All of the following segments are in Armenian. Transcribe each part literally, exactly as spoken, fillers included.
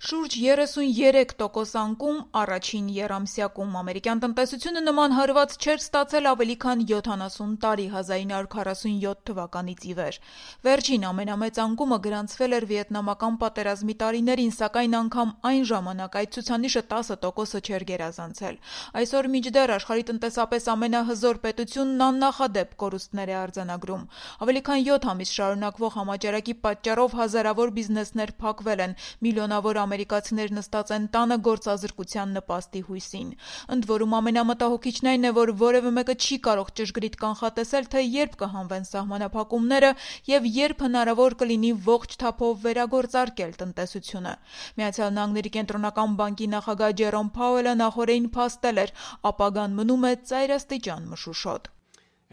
Շուրջ երեսունյերեք տոկոս անկում առաջին եռամսյակում ամերիկյան տնտեսությունը նման հարված չէր ստացել ավելի քան յոթանասուն տարի հազար նույն հարյուր քառասունյոթ թվականից ի վեր։ Վերջին ամենամեծ անկումը գրանցվել էր վիետնամական պատերազմի տարիներին, սակայն անգամ այն ժամանակ այդ ցուցանիշը տասը տոկոսը չէր գերազանցել։ Այսօր մինչդեռ աշխարհի տնտեսապես ամենահզոր պետությունն աննախադեպ կորուստներ է արձանագրում։ Ավելի քան յոթ ամիս շարունակվող համաճարակի պատճառով հազարավոր բիզնեսներ փակվել են, միլիոնավոր ամերիկացիներ նստած են տանը գործազրկության նպաստի հույսին։ Ընդ որում ամենամտահոգիչն այն է, որ որևէ մեկը չի կարող ճշգրիտ կանխատեսել, թե երբ կհանվեն սահմանափակումները եւ երբ հնարավոր կլինի ողջ թափով վերագործարկել տնտեսությունը։ Միացյալ Նահանգների կենտրոնական բանկի նախագահ Ջերոմ Փաուելը նախորդին փաստել էր, ապագան մնում է ծայրաստիճան մշուշոտ։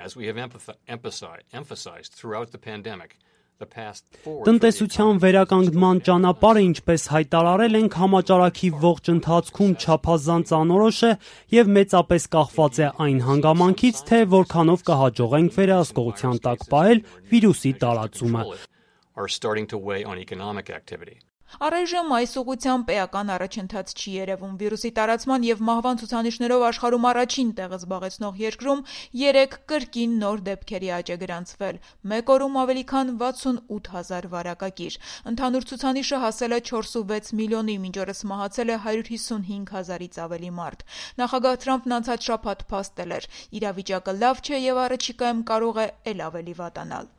As we have emphasized, emphasized throughout the pandemic, Տնտեսության վերականգնման ճանապարհը, ինչպես հայտարարել ենք, համաճարակի ողջ ընթացքում չափազանց անորոշ է եւ մեծապես կախված է այն հանգամանքից, թե որքանով կհաջողենք վերահսկողության տակ պահել վիրուսի տարածումը։ Առայժմ այս ուղղությամբ էական առաջընթաց չի երևում։ Վիրուսի տարածման եւ մահվան ցուցանիշներով աշխարհում առաջին տեղը զբաղեցնող երկրում երեք կրկին նոր դեպքերի աճ է գրանցվել։ Մեկ օրում ավելի քան վաթսունութ հազար վարակագիր։ Ընդհանուր ցուցանիշը հասել է չորսունվեց միլիոնի, մինչ օրս մահացել է հարյուր հիսունհինգ հազարից ավելի մարդ։ Նախագահ Թրամփն անցած շաբաթ փաստել էր. իրավիճակը լավ չէ եւ առաջիկայում կարող է ել ավելի վատանալ։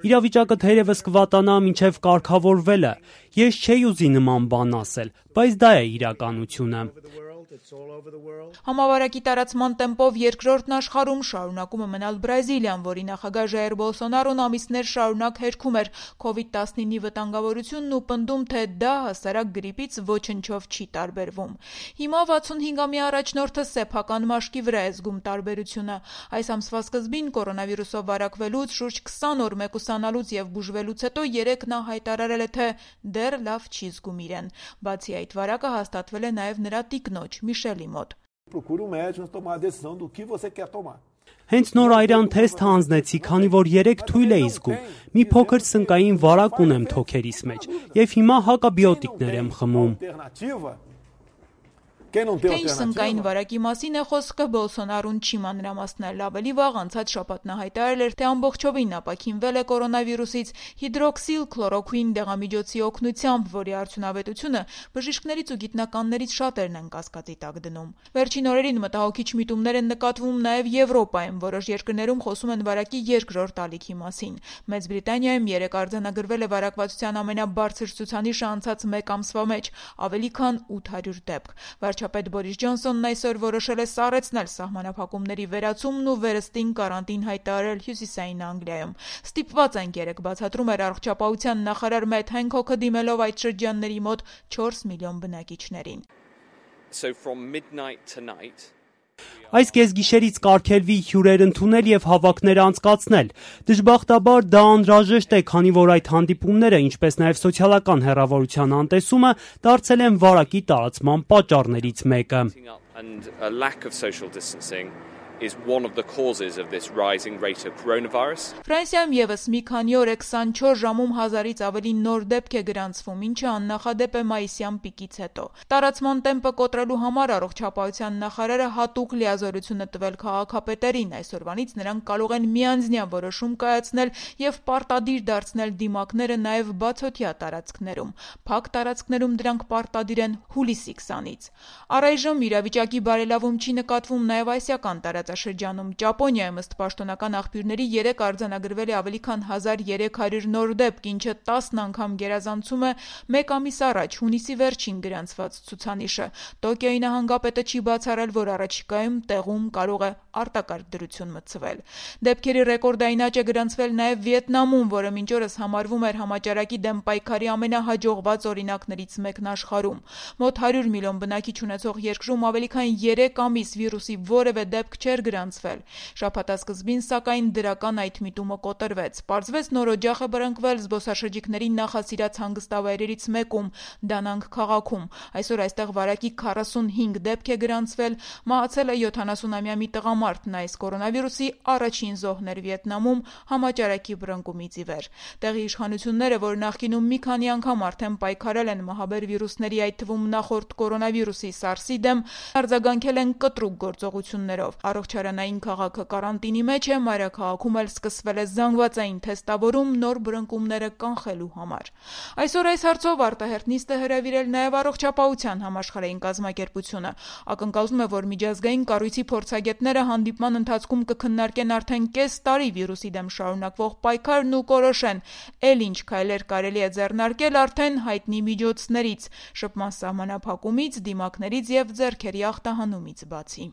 Իրավիճակը թերևս կվատանա մինչև կարգավորվելը։ Ես չէի ուզի նման բան ասել, բայց դա է իրականությունը։ Համավարակի տարածման տեմպով երկրորդն աշխարհում շարունակում է մնալ Բրազիլիան, որի նախագահ Ժայր Բոլսոնարոն ամիսներ շարունակ հերքում էր կովիդ տասնինի վտանգավորությունն ու պնդում, թե դա հասարակ գրիպից ոչնչով չի տարբերվում։ Հիմա վաթսունհինգամյա առաջնորդը սեփական մաշկի վրա է զգում տարբերությունը։ Այս ամսվա սկզբին կորոնավիրուսով վարակվելուց շուրջ քսան օր մեկուսանալուց եւ բուժվելուց հետո երեք նա հայտարարել է, թե դեռ լավ չի զգում իրեն։ Բացի այդ, վարակը հաստատվել է նաեւ նրա տիկնոջ Միշելի մոտ։ Հենց նոր այրան թեստ հանձնեցի, քանի որ երեք թույլ էի զգում։ Մի փոքր սնկային վարակ ունեմ թոքերիս մեջ եւ հիմա հակաբիոտիկներ եմ խմում։ Թե ինչ սնկային վարակի մասին է խոսքը, Բոլսոնարոն չի մանրամասնել։ Ավելի վաղ անցած շաբաթ նա հայտարարել էր, թե ամբողջովին ապաքինվել է կորոնավիրուսից հիդրոքսիլ քլորոքուին դեղամիջոցի օգնությամբ, որի արդյունավետությունը բժիշկներից ու գիտնականներից շատերն են կասկածի տակ դնում։ Վերջին օրերին մտահոգիչ միտումներ են նկատվում նաև Եվրոպայում, որոշ երկրներում խոսում են վարակի երկրորդ ալիքի մասին։ Մեծ Բրիտանիայում երեք արձանագրվել է վարակվածության ամենաբարձր ցուցանիշը անցած մեկ ամսվա մեջ՝ ավելի քան ութ հարյուր դեպք։ Վարչապետ Բորիս Ջոնսոնն այսօր որոշել է սառեցնել սահմանափակումների վերացումն ու վերստին կարանտին հայտարարել Հյուսիսային Անգլիայում։ Ստիպված ենք երեք բացատրում էր առողջապահության նախարար Մեթ Հենքոքը, դիմելով այդ շրջանների մոտ չորս միլիոն բնակիչներին։ So from midnight tonight Այս կեսգիշերից կարգելվի հյուրեր ընդունել եւ հավաքներ անցկացնել։ Դժբախտաբար դա անհրաժեշտ է, քանի որ այդ հանդիպումները, ինչպես նաեւ սոցիալական հեռավորության անտեսումը, դարձել են վարակի տարածման պատճառներից մեկը։ and a lack of social distancing is one of the causes of this rising rate of coronavirus. Ֆրանսիայում եւս մի քանի օր է քսանչորս ժամում հազարից ավելի նոր դեպք է գրանցվում, ինչը աննախադեպ է մայիսյան պիկից հետո։ Տարածման տեմպը կոտրելու համար առողջապահության նախարարը հատուկ լիազորություն է տվել քաղաքապետերին։ Այսօրվանից նրանք կարող են միանձնյա որոշում կայացնել եւ պարտադիր դարձնել դիմակները նաեւ բացօթյա տարածքներում։ Փակ տարածքներում դրանք պարտադիր են հուլիսի քսանից։ Առայժմ իրավիճակի բարելավում չի նկատվում նաեւ ասիական տարածաշրջանում։ Ճապոնիայում ըստ պաշտոնական աղբյուրների երեք արձանագրվել է ավելի քան հազար երեք հարյուր նոր դեպք, ինչը տասն անգամ գերազանցում է մեկ ամիս առաջ հունիսի վերջին գրանցված ցուցանիշը։ Տոկիոյի նահանգապետը չի բացառել, որ առաջիկայում տեղում կարող է արտակարգ դրություն մտցվել։ Դեպքերի ռեկորդային աճ է գրանցվել նաև Վիետնամում, որը մինչ օրս համարվում էր համաճարակի դեմ պայքարի ամենահաջողված օրինակներից մեկն աշխարհում։ Մոտ հարյուր միլիոն բնակիչ ունեցող երկրում ավելի քան երեք ամիս վիրուսի որևէ դեպք չէր չէր գրանցվել։ Շաբաթասկզբին, սակայն, դրական այդ միտումը կոտրվեց։ Պարզվեց նոր օջախ է բռնկվել զբոսաշրջիկների նախասիրած հանգստավայրերից մեկում՝ Դանանգ քաղաքում։ Այսօր այստեղ վարակի քառասունհինգ դեպք է գրանցվել, մահացել է յոթանասունամյա մի տղամարդ, նա այս կորոնավիրուսի առաջին զոհն էր Վիետնամում համաճարակի բռնկումից ի վեր։ Տեղի իշխանությունները, որ նախկինում մի քանի անգամ արդեն պայքարել են մահաբեր վիրուսների, այդ թվում նախորդ կորոնավիրուսի SARS-ի դեմ, արձագանքել են կտրուկ գործողություններով։ Առողջարանային քաղաքը կարանտինի մեջ է, մայրաքաղաքում էլ սկսվել է զանգվածային թեստավորում նոր բռնկումները կանխելու համար։ Այսօր այս հարցով արտահերթ նիստ է հրավիրել նաև Առողջապահության համաշխարհային կազմակերպությունը։ Ակնկալվում է, որ միջազգային կառույցի փորձագետները հանդիպման ընթացքում կքննարկեն արդեն կես տարի վիրուսի դեմ շարունակվող պայքարն ու կորոշեն, էլ ինչ քայլեր կարելի է ձեռնարկել արդեն հայտնի միջոցներից՝ շփման սահմանափակումից, դիմակներից և ձեռքերի ախտահանումից բացի։